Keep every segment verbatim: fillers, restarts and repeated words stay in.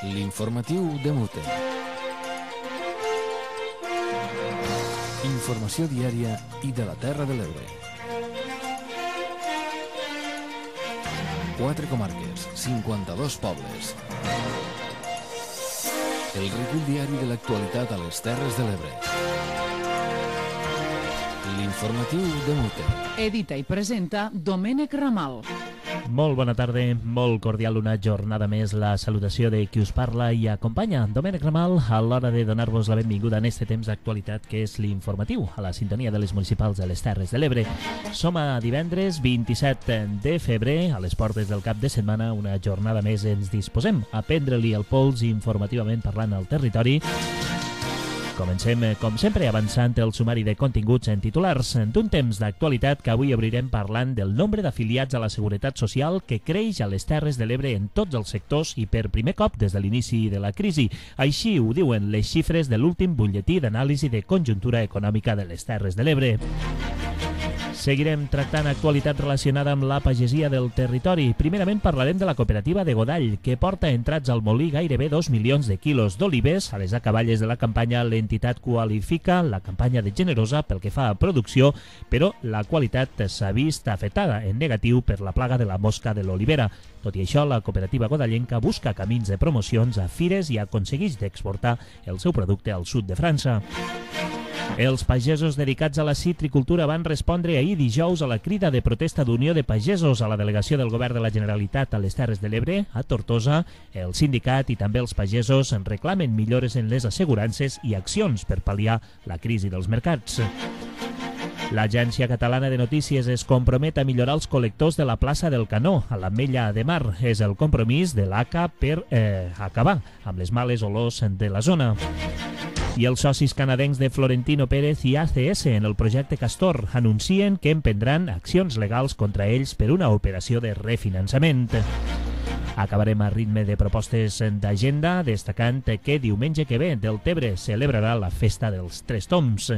L'informatiu de Mute. Informació diària i de la Terra de l'Ebre. Quatre comarques, cinquanta-dos pobles. El recull diari de l'actualitat a les Terres de l'Ebre. L'informatiu de Mute. Edita i presenta Domènec Ramal. Molt bona tarda, molt cordial una jornada més, la salutació de qui us parla i acompanya, Domènec Ramal, a l'hora de donar-vos la benvinguda en este temps d'actualitat que és l'informatiu, a la sintonia de les municipals de les Terres de l'Ebre. Som a divendres vint-i-set de febrer, a les portes del cap de setmana, una jornada més ens disposem a prendre-li el pols informativament parlant al territori. Comencem, com sempre, avançant el sumari de continguts en titulars d'un temps d'actualitat que avui obrirem parlant del nombre d'afiliats a la Seguretat Social que creix a les Terres de l'Ebre en tots els sectors i per primer cop des de l'inici de la crisi. Així ho diuen les xifres de l'últim butlletí d'anàlisi de conjuntura econòmica de les Terres de l'Ebre. Seguirem tractant actualitat relacionada amb la pagesia del territori. Primerament parlarem de la cooperativa de Godall, que porta entrats al molí gairebé dos milions de quilos d'olives. A les acaballes de la campanya, l'entitat qualifica la campanya de generosa pel que fa a producció, però la qualitat s'ha vist afectada en negatiu per la plaga de la mosca de l'olivera. Tot i això, la cooperativa godallenca busca camins de promocions a fires i aconsegueix d'exportar el seu producte al sud de França. Els pagesos dedicats a la citricultura van respondre ahir dijous a la crida de protesta d'Unió de Pagesos a la delegació del Govern de la Generalitat a les Terres de l'Ebre, a Tortosa. El sindicat i també els pagesos reclamen millores en les assegurances i accions per pal·liar la crisi dels mercats. L'Agència Catalana de Notícies es compromet a millorar els col·lectors de la plaça del Canó, a l'Ametlla de Mar. És el compromís de l'A C A per eh, acabar amb les males olors de la zona. I els socis canadencs de Florentino Pérez i A C S en el projecte Castor anuncien que emprendran accions legals contra ells per una operació de refinançament. Acabarem a ritme de propostes d'agenda, destacant que diumenge que ve Deltebre celebrarà la festa dels Tres Tombs.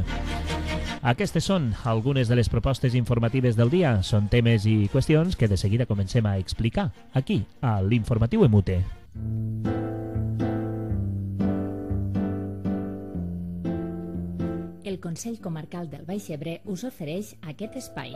Aquestes són algunes de les propostes informatives del dia. Són temes i qüestions que de seguida comencem a explicar aquí, a l'Informatiu Emute. El Consell Comarcal del Baix Ebre us ofereix aquest espai.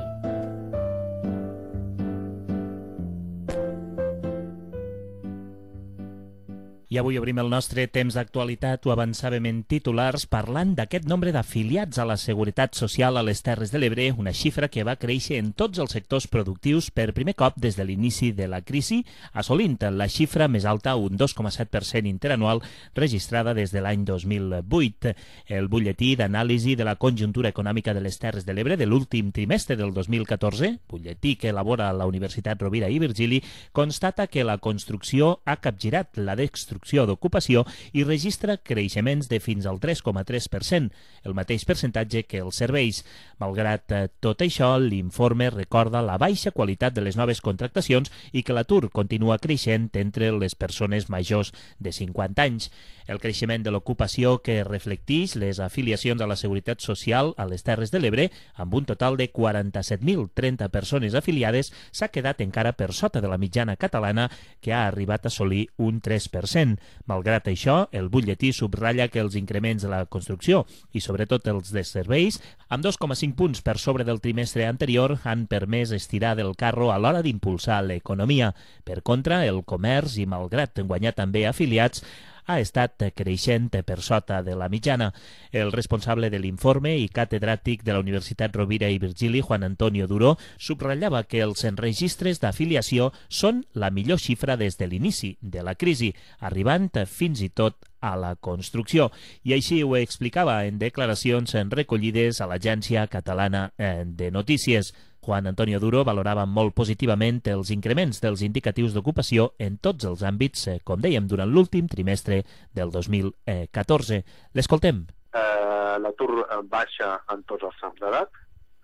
I avui obrim el nostre temps d'actualitat, ho avançàvem en titulars, parlant d'aquest nombre d'afiliats a la Seguretat Social a les Terres de l'Ebre, una xifra que va créixer en tots els sectors productius per primer cop des de l'inici de la crisi, assolint la xifra més alta, un dos coma set per cent interanual, registrada des de l'any dos mil vuit. El butlletí d'anàlisi de la conjuntura econòmica de les Terres de l'Ebre de l'últim trimestre del dos mil catorze, butlletí que elabora la Universitat Rovira i Virgili, constata que la construcció ha capgirat la destrucció d'ocupació i registra creixements de fins al tres coma tres per cent, el mateix percentatge que els serveis. Malgrat tot això, l'informe recorda la baixa qualitat de les noves contractacions i que l'atur continua creixent entre les persones majors de cinquanta anys. El creixement de l'ocupació que reflecteix les afiliacions a la Seguretat Social a les Terres de l'Ebre, amb un total de quaranta-set mil trenta persones afiliades, s'ha quedat encara per sota de la mitjana catalana, que ha arribat a assolir un tres per cent. Malgrat això, el butlletí subratlla que els increments de la construcció i sobretot els de serveis, amb dos coma cinc punts per sobre del trimestre anterior, han permès estirar del carro a l'hora d'impulsar l'economia. Per contra, el comerç, i malgrat guanyar també afiliats, ha estat creixent per sota de la mitjana. El responsable de l'informe i catedràtic de la Universitat Rovira i Virgili, Juan Antonio Duró, subratllava que els registres d'afiliació són la millor xifra des de l'inici de la crisi, arribant fins i tot a la construcció. I així ho explicava en declaracions recollides a l'Agència Catalana de Notícies. Juan Antonio Duró valorava molt positivament els increments dels indicatius d'ocupació en tots els àmbits, com dèiem, durant l'últim trimestre del dos mil catorze. L'escoltem. Eh, L'atur baixa en tots els trams d'edat,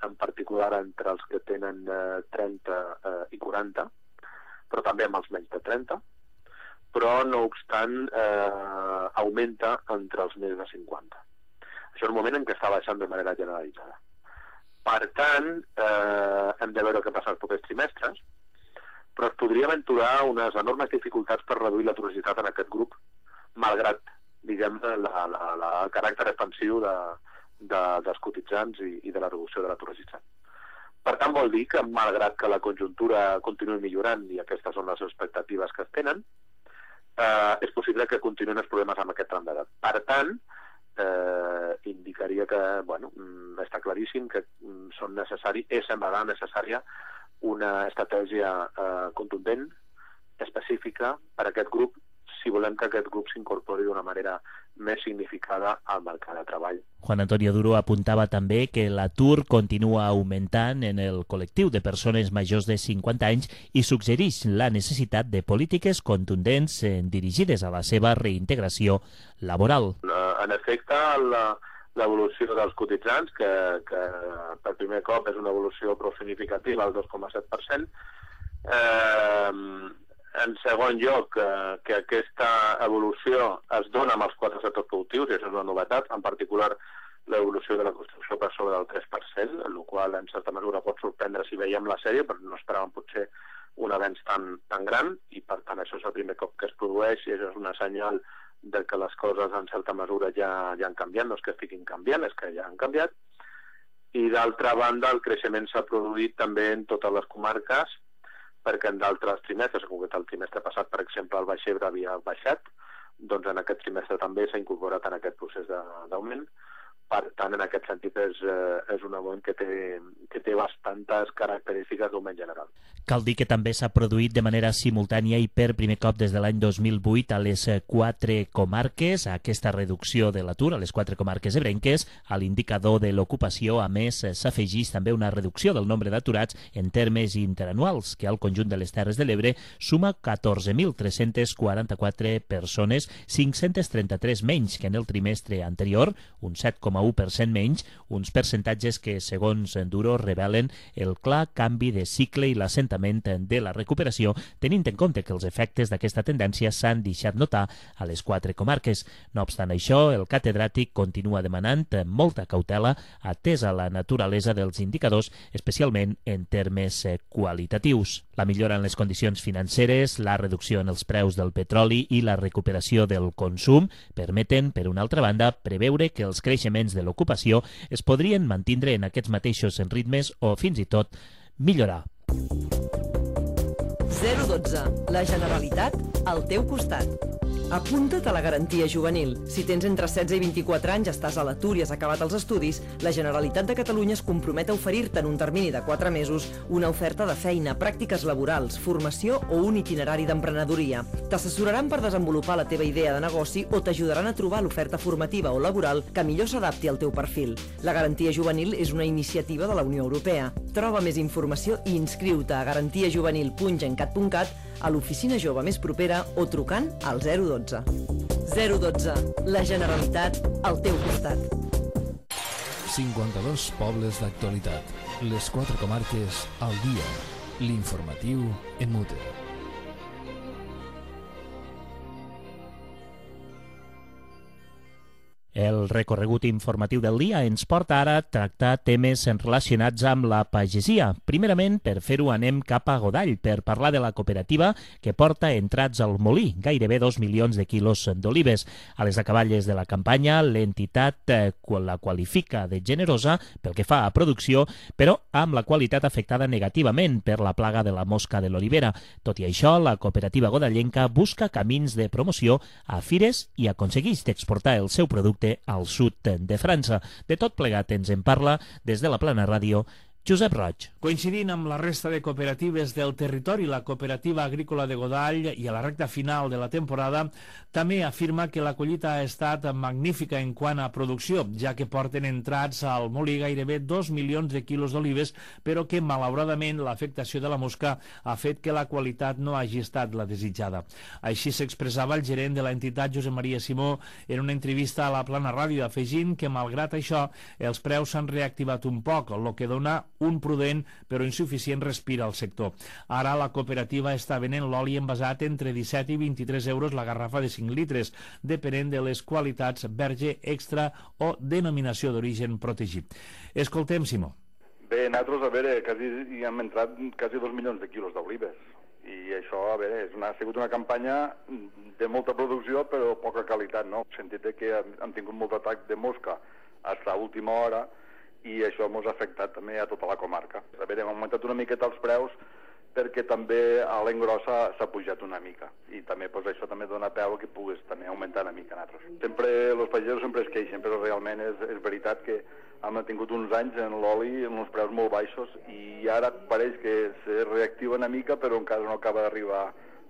en particular entre els que tenen eh, trenta eh, i quaranta, però també amb els menys de trenta, però no obstant eh, augmenta entre els més de cinquanta. Això és un moment en què està baixant de manera generalitzada. Per tant, eh, hem de veure què passa els propers trimestres, però es podria aventurar unes enormes dificultats per reduir l'aturositat en aquest grup malgrat, diguem, la, la, la, el caràcter expansiu de, de, dels cotitzants i, i de la reducció de l'atur registrat. Per tant, vol dir que, malgrat que la conjuntura continuï millorant, i aquestes són les expectatives que es tenen, eh, és possible que continuïn els problemes amb aquest tram d'edat. Per tant, eh, indicaria que, bueno, està claríssim que són necessari, és semblarà necessària una estratègia eh, contundent, específica per a aquest grup, si volem que aquest grup s'incorpori d'una manera més significada al mercat de treball. Juan Antonio Duro apuntava també que l'atur continua augmentant en el col·lectiu de persones majors de cinquanta anys i suggereix la necessitat de polítiques contundents dirigides a la seva reintegració laboral. En efecte, l'evolució dels cotitzants, que, que per primer cop és una evolució prou significativa, al dos coma set per cent, eh, en segon lloc, eh, que aquesta evolució es dona amb els quatre sectors productius, i això és una novetat, en particular l'evolució de la construcció per sobre del tres per cent, el qual en certa mesura pot sorprendre si veiem la sèrie, però no esperàvem potser un avenç tan, tan gran, i per tant això és el primer cop que es produeix, i això és una senyal de que les coses en certa mesura ja, ja han canviat, no és que estiguin canviant, és que ja han canviat. I d'altra banda, el creixement s'ha produït també en totes les comarques, perquè en d'altres trimestres, en concret el trimestre passat, per exemple, el Baix Ebre havia baixat, doncs en aquest trimestre també s'ha incorporat en aquest procés d'augment. Per tant, en aquest sentit, és, és un augment que té, que té bastantes característiques d'augment general. Cal dir que també s'ha produït de manera simultània i per primer cop des de l'any dos mil vuit a les quatre comarques, aquesta reducció de l'atur a les quatre comarques ebrenques. A l'indicador de l'ocupació, a més, s'afegeix també una reducció del nombre d'aturats en termes interanuals, que al conjunt de les Terres de l'Ebre suma catorze mil tres-cents quaranta-quatre persones, cinc-cents trenta-tres menys que en el trimestre anterior, un set coma u per cent menys, uns percentatges que, segons Duro, revelen el clar canvi de cicle i l'assentament de la recuperació, tenint en compte que els efectes d'aquesta tendència s'han deixat notar a les quatre comarques. No obstant això, el catedràtic continua demanant molta cautela atesa la naturalesa dels indicadors, especialment en termes qualitatius. La millora en les condicions financeres, la reducció en els preus del petroli i la recuperació del consum permeten, per una altra banda, preveure que els creixements de l'ocupació es podrien mantindre en aquests mateixos ritmes o fins i tot millorar. zero dotze. La Generalitat al teu costat. Apunta't a la garantia juvenil. Si tens entre setze i vint-i-quatre anys, estàs a l'atur i has acabat els estudis, la Generalitat de Catalunya es compromet a oferir-te en un termini de quatre mesos una oferta de feina, pràctiques laborals, formació o un itinerari d'emprenedoria. T'assessoraran per desenvolupar la teva idea de negoci o t'ajudaran a trobar l'oferta formativa o laboral que millor s'adapti al teu perfil. La garantia juvenil és una iniciativa de la Unió Europea. Troba més informació i inscriu-te a garantia juvenil punt gencat punt cat, a l'oficina jove més propera o trucant al zero dotze. zero dotze. La Generalitat al teu costat. cinquanta-dos pobles d'actualitat. Les quatre comarques al dia. L'informatiu en mute. El recorregut informatiu del dia ens porta ara a tractar temes relacionats amb la pagesia. Primerament, per fer-ho anem cap a Godall per parlar de la cooperativa que porta entrats al molí, gairebé dos milions de quilos d'olives. A les acaballes de la campanya, l'entitat eh, la qualifica de generosa pel que fa a producció, però amb la qualitat afectada negativament per la plaga de la mosca de l'olivera. Tot i això, la cooperativa godallenca busca camins de promoció a fires i aconsegueix d'exportar el seu producte al sud de França. De tot plegat ens en parla des de la Plana Ràdio Josep Roig. Coincidint amb la resta de cooperatives del territori, la cooperativa agrícola de Godall i a la recta final de la temporada també afirma que la collita ha estat magnífica en quant a producció, ja que porten entrats al molí gairebé dos milions de quilos d'olives, però que malauradament l'afectació de la mosca ha fet que la qualitat no hagi estat la desitjada. Així s'expressava el gerent de l'entitat Josep Maria Simó en una entrevista a la Plana Ràdio, afegint que malgrat això els preus s'han reactivat un poc, el que dona un prudent però insuficient respir al sector. Ara la cooperativa està venent l'oli envasat entre disset i vint-i-tres euros la garrafa de cinc litres, depenent de les qualitats verge, extra o denominació d'origen protegit. Escoltem, Simó. Bé, nosaltres, a veure, quasi, hi hem entrat quasi dos milions de quilos d'olives. I això, a veure, és una, ha sigut una campanya de molta producció però poca qualitat, no? En el sentit de que hem, hem tingut molt atac de mosca fins a última hora i això ens ha afectat també a tota la comarca. A veure, hem augmentat una miqueta els preus perquè també a l'engrossa s'ha pujat una mica i també pues, això també dona peu que puguis també augmentar una mica nosaltres. Sempre, els pagesos sempre es queixen, però realment és, és veritat que hem tingut uns anys en l'oli en uns preus molt baixos i ara pareix que se reactiva una mica però encara no acaba d'arribar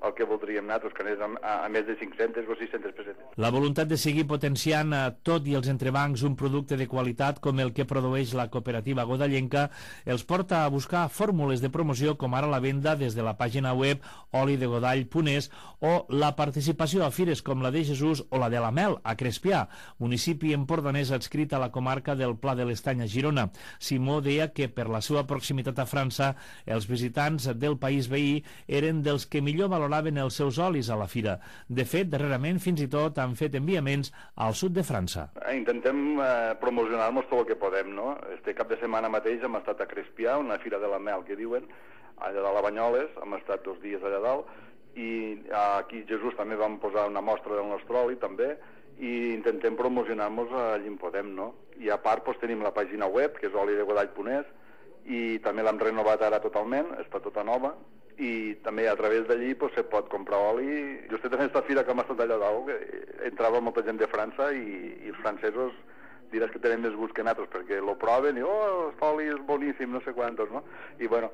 el que voldríem nosaltres, que anés a, a, a més de cinc-centes o sis-centes pessetes. La voluntat de seguir potenciant a tot i els entrebancs un producte de qualitat com el que produeix la cooperativa godallenca els porta a buscar fórmules de promoció com ara la venda des de la pàgina web oli de godall punt es o la participació a fires com la de Jesús o la de la Mel a Crespià, municipi empordanès adscrit a la comarca del Pla de l'Estany a Girona. Simó deia que per la seva proximitat a França els visitants del país veí eren dels que millor valoraven els seus olis a la fira. De fet, darrerament fins i tot han fet enviaments al sud de França. Intentem eh, promocionar-nos tot el que podem, no? Este cap de setmana mateix hem estat a Crespià, una fira de la Mel que diuen, allà dalt a Banyoles, hem estat dos dies allà dalt, i aquí a Jesús també vam posar una mostra del nostre oli també, i intentem promocionar-nos allà on podem, no? I a part doncs, tenim la pàgina web, que és oli de godall punt es, i també l'hem renovat ara totalment, està tota nova, i també a través d'allí pues, se pot comprar oli. Just en aquesta fira que hem estat allà dalt entrava molta gent de França i, i els francesos diràs que tenen més gust que nosaltres perquè lo proven i oh, aquest oli és boníssim, no sé quantos, no? I bueno,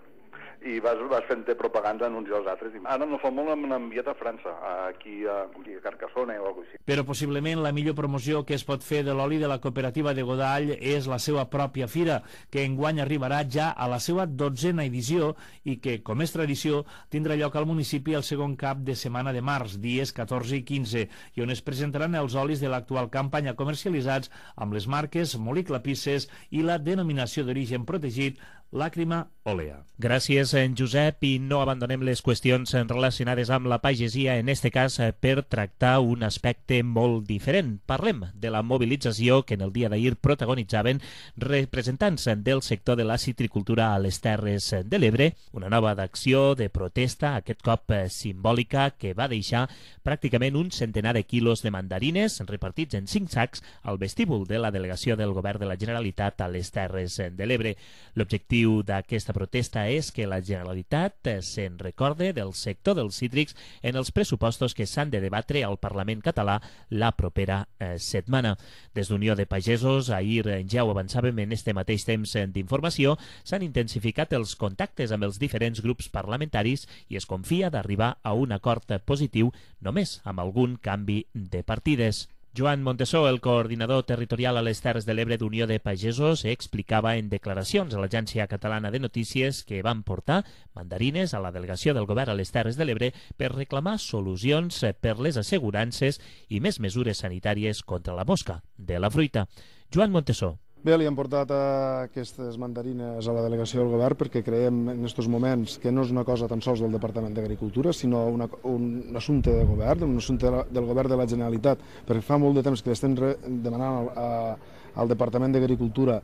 i vas, vas fent propaganda anuncis als altres. Ara no fa molt hem enviat a França, aquí a, aquí a Carcassona o alguna cosa així. Però possiblement la millor promoció que es pot fer de l'oli de la cooperativa de Godall és la seva pròpia fira, que enguany arribarà ja a la seva dotzena edició i que, com és tradició, tindrà lloc al municipi el segon cap de setmana de març, dies catorze i quinze, i on es presentaran els olis de l'actual campanya comercialitzats amb les marques Molí Clapisses i la denominació d'origen protegit Làcrima Olea. Gràcies, en Josep, i no abandonem les qüestions relacionades amb la pagesia, en este cas per tractar un aspecte molt diferent. Parlem de la mobilització que en el dia d'ahir protagonitzaven representants del sector de la citricultura a les Terres de l'Ebre, una nova d'acció de protesta, aquest cop simbòlica, que va deixar pràcticament un centenar de quilos de mandarines repartits en cinc sacs al vestíbul de la delegació del Govern de la Generalitat a les Terres de l'Ebre. L'objectiu d'aquesta protesta és que la Generalitat se'n recorde del sector dels cítrics en els pressupostos que s'han de debatre al Parlament català la propera eh, setmana. Des d'Unió de Pagesos, ahir ja ho avançàvem en este mateix temps d'informació, s'han intensificat els contactes amb els diferents grups parlamentaris i es confia d'arribar a un acord positiu només amb algun canvi de partides. Joan Montesó, el coordinador territorial a les Terres de l'Ebre d'Unió de Pagesos, explicava en declaracions a l'Agència Catalana de Notícies que van portar mandarines a la delegació del Govern a les Terres de l'Ebre per reclamar solucions per les assegurances i més mesures sanitàries contra la mosca de la fruita. Joan Montesó. Bé, li hem portat aquestes mandarines a la delegació del govern perquè creiem en aquests moments que no és una cosa tan sols del Departament d'Agricultura, sinó una, un assumpte de govern, un assumpte del govern de la Generalitat, perquè fa molt de temps que l'estem demanant al, a, al Departament d'Agricultura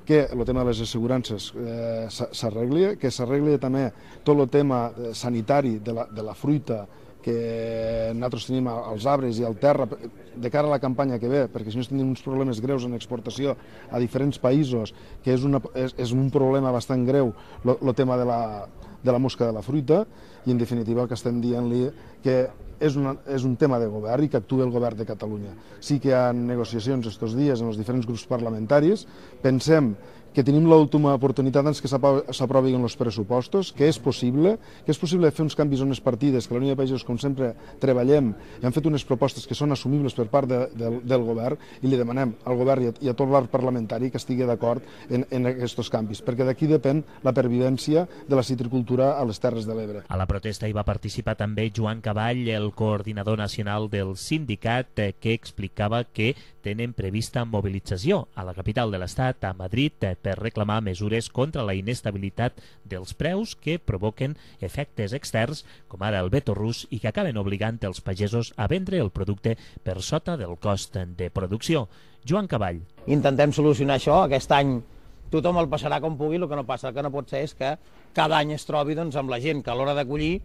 que el tema de les assegurances eh, s'arregli, que s'arregli també tot el tema sanitari de la, de la fruita que nosaltres tenim als arbres i al terra de cara a la campanya que ve, perquè si no tenim uns problemes greus en exportació a diferents països, que és, una, és, és un problema bastant greu el tema de la, de la mosca de la fruita, i en definitiva el que estem dient-li que és, una, és un tema de govern i que actuï el govern de Catalunya. Sí que hi ha negociacions estos dies en els diferents grups parlamentaris, pensem que tenim l'última oportunitat doncs, que s'aprovin els pressupostos, que és possible, que és possible fer uns canvis en les partides, que la Unió de Pagesos, com sempre, treballem i han fet unes propostes que són assumibles per part de, de, del govern, i li demanem al govern i a, i a tot l'arc parlamentari que estigui d'acord en, en aquests canvis, perquè d'aquí depèn la pervivència de la citricultura a les Terres de l'Ebre. A la protesta hi va participar també Joan Caball, el coordinador nacional del sindicat, que explicava que tenen prevista mobilització a la capital de l'Estat, a Madrid, per reclamar mesures contra la inestabilitat dels preus que provoquen efectes externs, com ara el veto rus, i que acaben obligant els pagesos a vendre el producte per sota del cost de producció. Joan Caball. Intentem solucionar això. Aquest any tothom el passarà com pugui, el que no passa, el que no pot ser és que cada any es trobi doncs, amb la gent que a l'hora de collir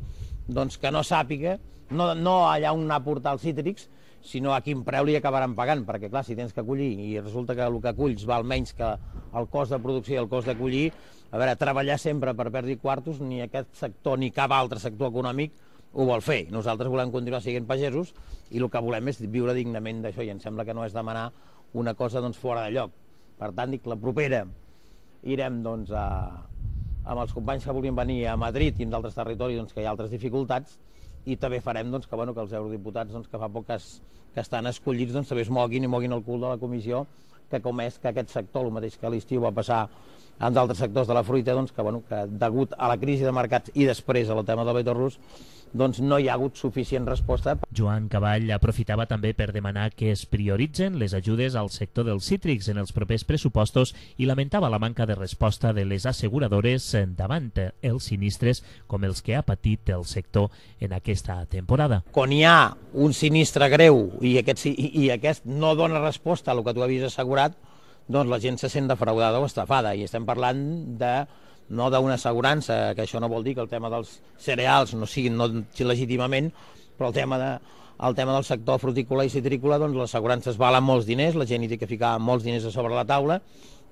doncs, que no sàpiga, no, no allà on anar a portar els cítrics, sinó a quin preu li acabaran pagant, perquè clar, si tens que collir i resulta que el que culls val menys que el cost de producció i el cost de collir, a veure, treballar sempre per perdre quartos, ni aquest sector ni cap altre sector econòmic ho vol fer. Nosaltres volem continuar sent pagesos i el que volem és viure dignament d'això i em sembla que no és demanar una cosa doncs, fora de lloc. Per tant, dic, la propera irem doncs, a, amb els companys que volien venir a Madrid i en d'altres territoris doncs, que hi ha altres dificultats i també farem doncs, que, bueno, que els eurodiputats doncs, que fa poc que, es, que estan escollits doncs, també es moguin i moguin el cul de la comissió que com és que aquest sector, el mateix que a l'estiu va passar en d'altres sectors de la fruita, doncs, que, bueno, que degut a la crisi de mercats i després al tema del vetor rus, doncs no hi ha hagut suficient resposta. Joan Caball aprofitava també per demanar que es prioritzen les ajudes al sector dels cítrics en els propers pressupostos i lamentava la manca de resposta de les asseguradores davant els sinistres com els que ha patit el sector en aquesta temporada. Quan hi ha un sinistre greu i aquest, i, i aquest no dona resposta a el que tu havies assegurat, doncs la gent se sent defraudada o estafada i estem parlant de no d'una assegurança, que això no vol dir que el tema dels cereals no siguin no legítimament, però el tema, de, el tema del sector frutícola i citrícola, doncs les assegurances valen molts diners, la gent hi té que ficar molts diners a sobre la taula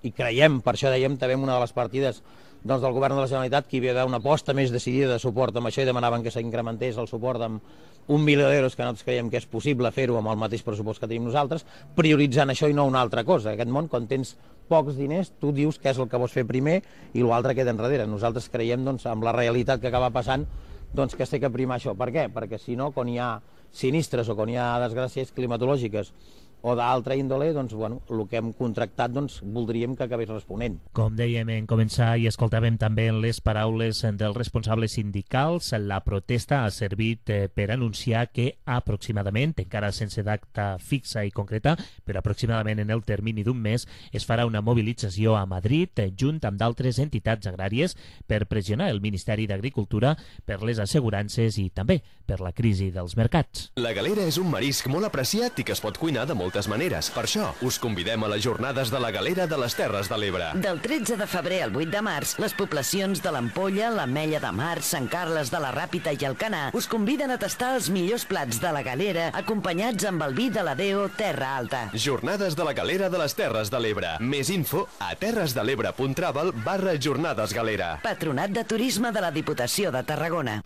i creiem, per això dèiem també en una de les partides doncs, del govern de la Generalitat que hi havia d'haver una aposta més decidida de suport amb això i demanaven que s'incrementés el suport amb un milió d'euros, que nosaltres creiem que és possible fer-ho amb el mateix pressupost que tenim nosaltres, prioritzant això i no una altra cosa. Aquest món, quan tens pocs diners, tu dius què és el que vols fer primer i l'altre queda enrere. Nosaltres creiem, doncs, amb la realitat que acaba passant, doncs, que es té que primar això. Per què? Perquè si no, quan hi ha sinistres o quan hi ha desgràcies climatològiques o d'altra índole, doncs, bueno, el que hem contractat doncs, voldríem que acabés responent. Com dèiem en començar i escoltàvem també les paraules dels responsables sindicals, la protesta ha servit per anunciar que aproximadament, encara sense data fixa i concreta, però aproximadament en el termini d'un mes, es farà una mobilització a Madrid junt amb d'altres entitats agràries per pressionar el Ministeri d'Agricultura per les assegurances i també per la crisi dels mercats. La galera és un marisc molt apreciat i que es pot cuinar de moltes maneres. Per això, us convidem a les jornades de la galera de les Terres de l'Ebre. Del tretze de febrer al vuit de març, les poblacions de l'Ampolla, l'Ametlla de Mar, Sant Carles de la Ràpita i Alcanar us conviden a tastar els millors plats de la galera acompanyats amb el vi de la Deo Terra Alta. Jornades de la galera de les Terres de l'Ebre. Més info a terresdelebre.travel barra jornades galera. Patronat de Turisme de la Diputació de Tarragona.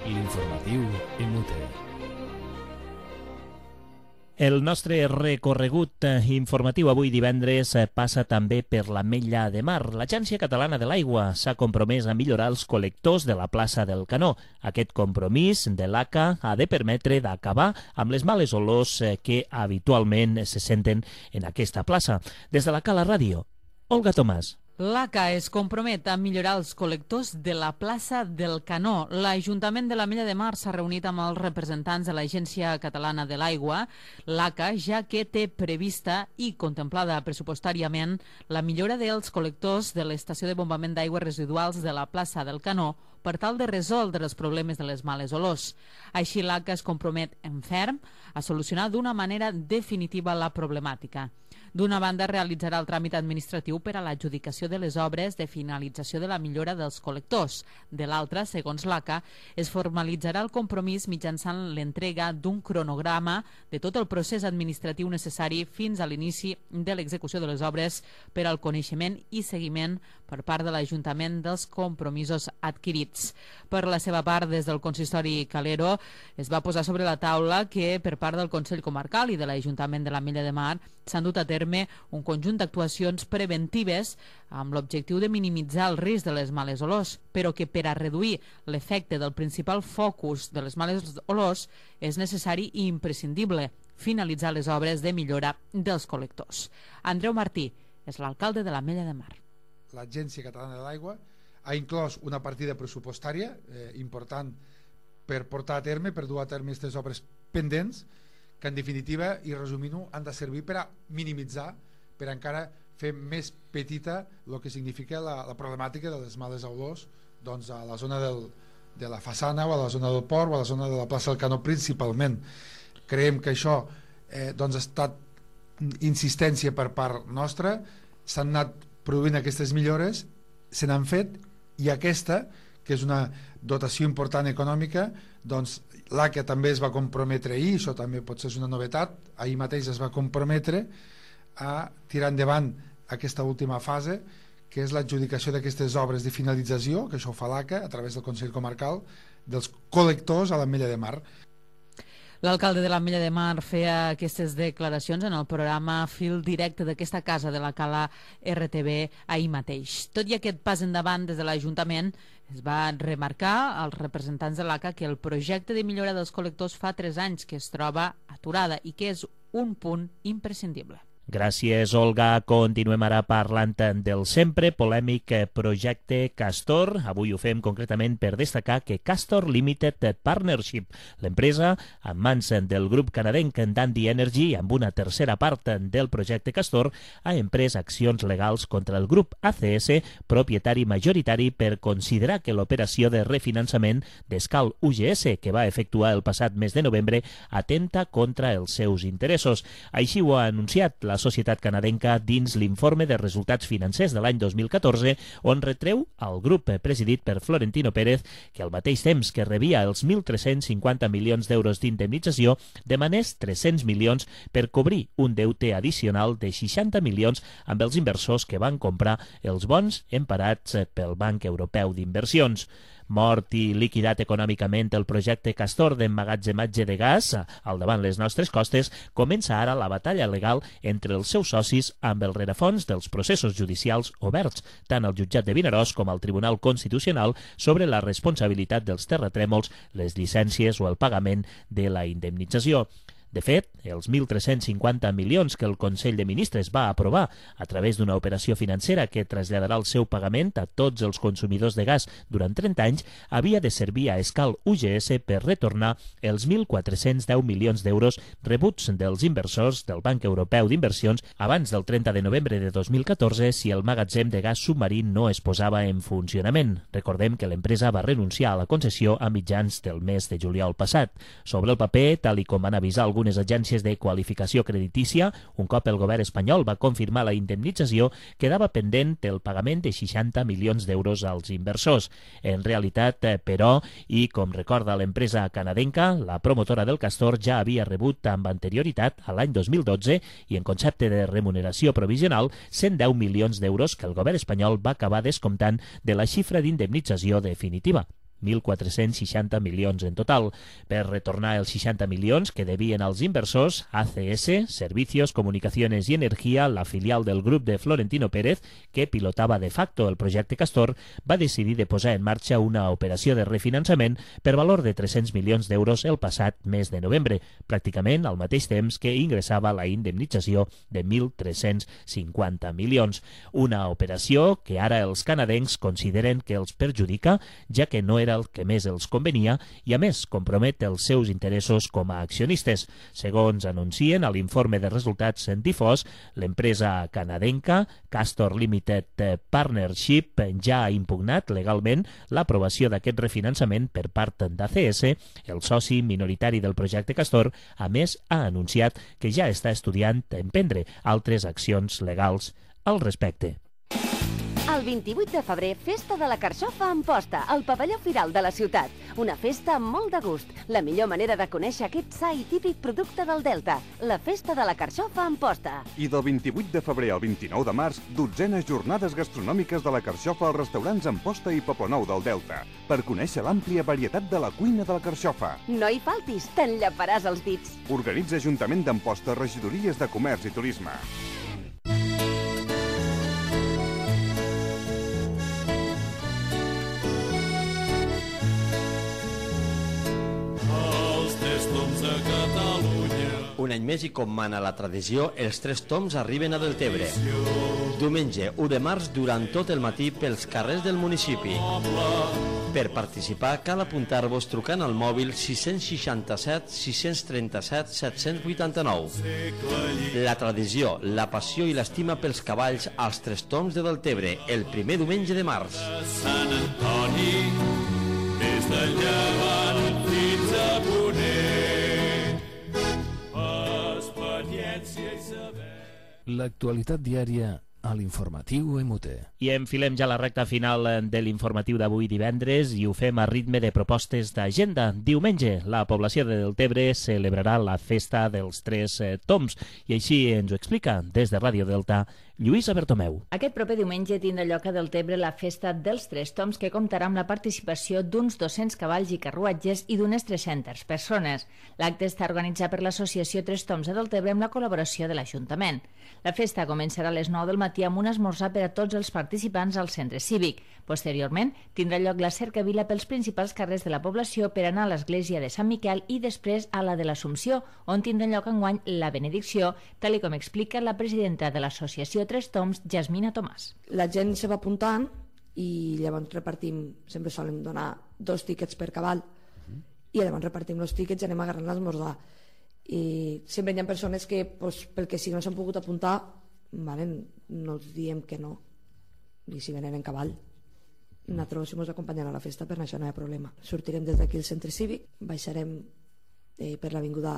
L'informatiu Emute. El nostre recorregut informatiu avui divendres passa també per l'Ametlla de Mar. L'Agència Catalana de l'Aigua s'ha compromès a millorar els col·lectors de la plaça del Canó. Aquest compromís de l'A C A ha de permetre d'acabar amb les males olors que habitualment se senten en aquesta plaça. Des de la Cala Ràdio, Olga Tomàs. L'A C A es compromet a millorar els col·lectors de la plaça del Canó. L'Ajuntament de l'Ametlla de Mar s'ha reunit amb els representants de l'Agència Catalana de l'Aigua, l'A C A, ja que té prevista i contemplada pressupostàriament la millora dels col·lectors de l'estació de bombament d'aigües residuals de la plaça del Canó per tal de resoldre els problemes de les males olors. Així, l'A C A es compromet en ferm a solucionar d'una manera definitiva la problemàtica. D'una banda, realitzarà el tràmit administratiu per a l'adjudicació de les obres de finalització de la millora dels col·lectors. De l'altra, segons l'A C A, es formalitzarà el compromís mitjançant l'entrega d'un cronograma de tot el procés administratiu necessari fins a l'inici de l'execució de les obres per al coneixement i seguiment per part de l'Ajuntament dels compromisos adquirits. Per la seva part, des del consistori Calero, es va posar sobre la taula que per part del Consell Comarcal i de l'Ajuntament de l'Ametlla de Mar s'han dut a terme un conjunt d'actuacions preventives amb l'objectiu de minimitzar el risc de les males olors, però que per a reduir l'efecte del principal focus de les males olors és necessari i imprescindible finalitzar les obres de millora dels col·lectors. Andreu Martí és l'alcalde de l'Ametlla de Mar. L'Agència Catalana de l'Aigua ha inclòs una partida pressupostària eh, important per portar a terme, per dur a terme aquestes obres pendents, que en definitiva, i resumint-ho, han de servir per a minimitzar, per a encara fer més petita el que significa la, la problemàtica de les males olors doncs, a la zona del, de la façana o a la zona del port o a la zona de la plaça del Canó principalment. Creiem que això eh, doncs, ha estat insistència per part nostra, s'han anat produint aquestes millores, se n'han fet, i aquesta, que és una dotació important econòmica, doncs l'A C A també es va comprometre ahir, això també potser és una novetat, ahir mateix es va comprometre a tirar endavant aquesta última fase, que és l'adjudicació d'aquestes obres de finalització, que això ho fa l'A C A a través del Consell Comarcal, dels col·lectors a l'Ametlla de Mar. L'alcalde de l'Ametlla de Mar feia aquestes declaracions en el programa Fil Directe d'aquesta casa de la Cala R T V ahir mateix. Tot i aquest pas endavant des de l'Ajuntament, es va remarcar als representants de l'A C A que el projecte de millora dels col·lectors fa tres anys que es troba aturada i que és un punt imprescindible. Gràcies, Olga. Continuem ara parlant del sempre polèmic projecte Castor. Avui ho fem concretament per destacar que Castor Limited Partnership, l'empresa en mans del grup canadenc Dandy Energy, amb una tercera part del projecte Castor, ha emprès accions legals contra el grup A C S, propietari majoritari, per considerar que l'operació de refinançament d'Escal U G S, que va efectuar el passat mes de novembre, atenta contra els seus interessos. Així ho ha anunciat la societat canadenca dins l'informe de resultats financers de l'any dos mil catorze, on retreu al grup presidit per Florentino Pérez que al mateix temps que rebia els mil tres-cents cinquanta milions d'euros d'indemnització, demanés tres-cents milions per cobrir un deute addicional de seixanta milions amb els inversors que van comprar els bons emparats pel Banc Europeu d'Inversions. Mort i liquidat econòmicament el projecte Castor d'emmagatzematge de gas al davant les nostres costes, comença ara la batalla legal entre els seus socis amb el rerefons dels processos judicials oberts, tant al jutjat de Vinaròs com al Tribunal Constitucional, sobre la responsabilitat dels terratrèmols, les llicències o el pagament de la indemnització. De fet, els mil tres-cents cinquanta milions que el Consell de Ministres va aprovar a través d'una operació financera que traslladarà el seu pagament a tots els consumidors de gas durant trenta anys, havia de servir a Escal U G S per retornar els mil quatre-cents deu milions d'euros rebuts dels inversors del Banc Europeu d'Inversions abans del trenta de novembre de dos mil catorze si el magatzem de gas submarí no es posava en funcionament. Recordem que l'empresa va renunciar a la concessió a mitjans del mes de juliol passat. Sobre el paper, tal i com van avisar alguns unes agències de qualificació creditícia, un cop el govern espanyol va confirmar la indemnització, quedava pendent el pagament de seixanta milions d'euros als inversors. En realitat, però, i com recorda l'empresa canadenca, la promotora del Castor ja havia rebut amb anterioritat a l'any dos mil dotze i en concepte de remuneració provisional cent deu milions d'euros que el govern espanyol va acabar descomptant de la xifra d'indemnització definitiva. mil quatre-cents seixanta milions en total. Per retornar els seixanta milions que devien als inversors, A C S, Servicios, Comunicaciones i Energia, la filial del grup de Florentino Pérez, que pilotava de facto el projecte Castor, va decidir de posar en marxa una operació de refinançament per valor de tres-cents milions d'euros el passat mes de novembre, pràcticament al mateix temps que ingressava la indemnització de mil tres-cents cinquanta milions. Una operació que ara els canadencs consideren que els perjudica, ja que no era el que més els convenia i, a més, compromet els seus interessos com a accionistes. Segons anuncien a l'informe de resultats difós, l'empresa canadenca Castor Limited Partnership ja ha impugnat legalment l'aprovació d'aquest refinançament per part d'A C S, el soci minoritari del projecte Castor. A més, ha anunciat que ja està estudiant emprendre altres accions legals al respecte. El vint-i-vuit de febrer, Festa de la Carxofa a Amposta, al pavelló Firal de la ciutat. Una festa amb molt de gust. La millor manera de conèixer aquest sa i típic producte del Delta. La Festa de la Carxofa a Amposta. I del vint-i-vuit de febrer al vint-i-nou de març, dotzenes jornades gastronòmiques de la Carxofa als restaurants Amposta i Poblenou del Delta, per conèixer l'àmplia varietat de la cuina de la Carxofa. No hi faltis, t'enllaparàs els dits. Organitza Ajuntament d'Amposta, Regidories de Comerç i Turisme. Un any més i com mana la tradició, els tres toms arriben a Deltebre. Diumenge u de març durant tot el matí pels carrers del municipi. Per participar cal apuntar-vos trucant al mòbil sis seixanta-set sis trenta-set set vuitanta-nou. La tradició, la passió i l'estima pels cavalls als tres toms de Deltebre, el primer diumenge de març. Sant Antoni, des de llevant fins a ponent. L'actualitat diària a l'informatiu M U T. I enfilem ja la recta final de l'informatiu d'avui divendres i ho fem a ritme de propostes d'agenda. Diumenge, la població de Deltebre celebrarà la festa dels Tres Toms i així ens ho explica des de Ràdio Delta Lluïsa Bertomeu. Aquest proper diumenge tindrà lloc a Deltebre la festa dels Tres Toms, que comptarà amb la participació d'uns dos-cents cavalls i carruatges i d'unes tres-centes persones. L'acte està organitzat per l'associació Tres Toms de Deltebre amb la col·laboració de l'Ajuntament. La festa començarà a les nou del matí amb un esmorzar per a tots els participants al centre cívic. Posteriorment, tindrà lloc la cercavila pels principals carrers de la població per anar a l'església de Sant Miquel i després a la de l'Assumpció, on tindrà lloc enguany la benedicció, tal com explica la presidenta de l'associació Tres Toms, Jasmina Tomàs. La gent se va apuntant i llavors repartim, sempre solen donar dos tíquets per cavall, i llavors repartim els tíquets i anem agarrant l'esmorzar. I sempre hi ha persones que, pues, pel que si no s'han pogut apuntar, vale, no els diem que no, i si venen en cavall nosaltres ens acompanyem a la festa, per això no hi ha problema. Sortirem des d'aquí al centre cívic, baixarem eh, per l'avinguda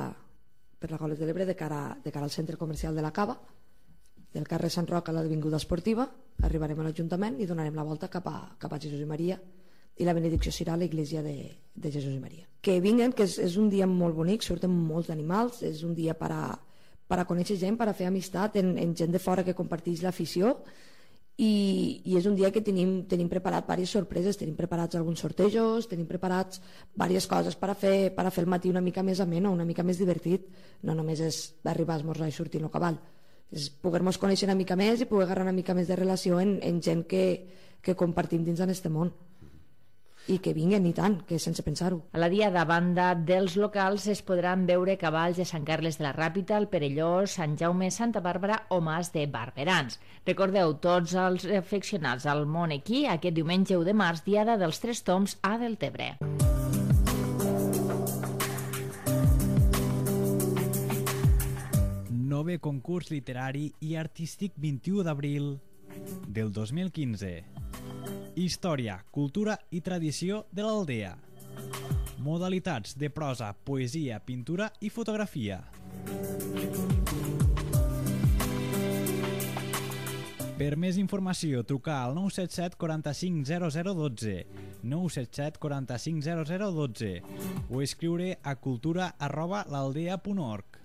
per la Goles de l'Ebre de cara, de cara al centre comercial de la Cava, del carrer Sant Roc a l'avinguda esportiva, arribarem a l'Ajuntament i donarem la volta cap a, cap a Jesús i Maria, i la benedicció serà a l'església de, de Jesús i Maria. Que vinguen, que és, és un dia molt bonic, surten molts animals, és un dia per a, per a conèixer gent, per a fer amistat en, en gent de fora que comparteix l'afició, i, i és un dia que tenim, tenim preparat diverses sorpreses, tenim preparats alguns sortejos, tenim preparats diverses coses per a fer, per a fer el matí una mica més ameno, una mica més divertit. No només és arribar a esmorzar i sortir en el cavall, és poder-nos conèixer una mica més i poder agarrar una mica més de relació en, en gent que, que compartim dins d'aquest món. I que vinguen, i tant, que sense pensar-ho. A la dia de banda dels locals es podran veure cavalls de Sant Carles de la Ràpita, el Perelló, Sant Jaume, Santa Bàrbara o Mas de Barberans. Recordeu, tots els afeccionats al món equí, aquest diumenge u de març, diada dels Tres Toms a Deltebre. Nove concurs literari i artístic vint-i-u d'abril del dos mil quinze. Història, cultura i tradició de l'Aldea. Modalitats de prosa, poesia, pintura i fotografia. Per més informació, trucar al nou set set quaranta-cinc zero zero dotze, nou set set quaranta-cinc zero zero dotze o escriure a cultura arroba l'aldea punt org.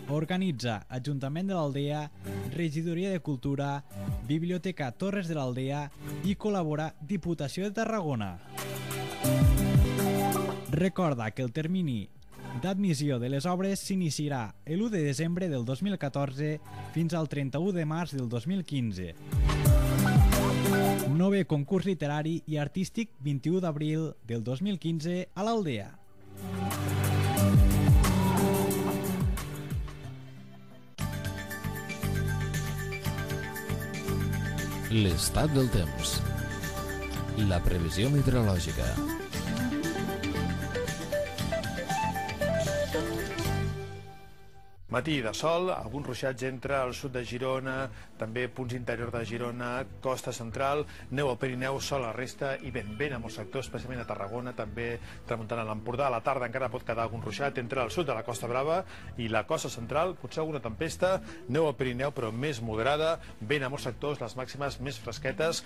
Organitza Ajuntament de l'Aldea, Regidoria de Cultura, Biblioteca Torres de l'Aldea i col·labora Diputació de Tarragona. Recorda que el termini d'admissió de les obres s'iniciarà l'u de desembre del dos mil catorze fins al trenta-u de març del dos mil quinze. Nove concurs literari i artístic vint-i-u d'abril del dos mil quinze a l'Aldea. L'estat del temps. La previsió meteorològica. Matí de sol, alguns ruixats entre el sud de Girona, també punts interior de Girona, costa central, neu al Pirineu, sol a la resta i vent, vent a molts sectors, especialment a Tarragona, també tramuntant a l'Empordà. A la tarda encara pot quedar algun ruixat entre el sud de la Costa Brava i la costa central, potser alguna tempesta, neu al Pirineu però més moderada, vent a molts sectors, les màximes més fresquetes,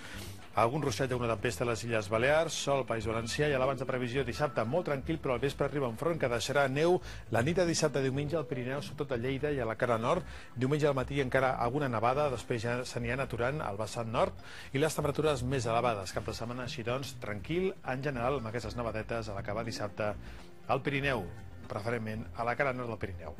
algun ruixat i alguna tempesta a les Illes Balears, sol al País Valencià i a l'abans de previsió dissabte molt tranquil, però al vespre arriba un front que deixarà neu la nit de dissabte a diumenge al Pirineu, sobretot a Lleida i a la cara nord. Diumenge al matí encara alguna nevada, després ja se n'hi ha aturant al vessant nord i les temperatures més elevades. Cap de setmana així doncs tranquil en general amb aquestes nevadetes a l'acabar dissabte al Pirineu, preferentment a la cara nord del Pirineu.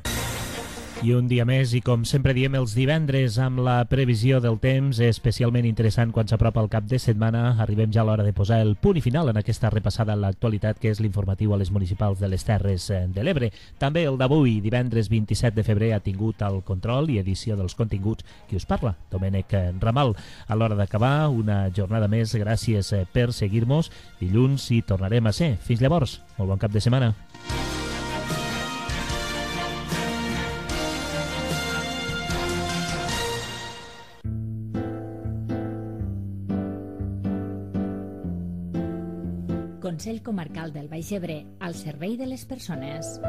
I un dia més, i com sempre diem els divendres, amb la previsió del temps, especialment interessant quan s'apropa el cap de setmana, arribem ja a l'hora de posar el punt i final en aquesta repassada a l'actualitat que és l'informatiu a les municipals de les Terres de l'Ebre. També el d'avui, divendres vint-i-set de febrer, ha tingut el control i edició dels continguts qui us parla, Domènec Ramal. A l'hora d'acabar, una jornada més, gràcies per seguir-nos. Dilluns hi tornarem a ser. Fins llavors, molt bon cap de setmana. Consell Comarcal del Baix Ebre, al servei de les persones.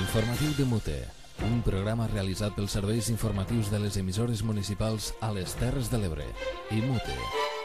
L'informatiu de Mute, un programa realitzat pels serveis informatius de les emissores municipals a les Terres de l'Ebre i Mute.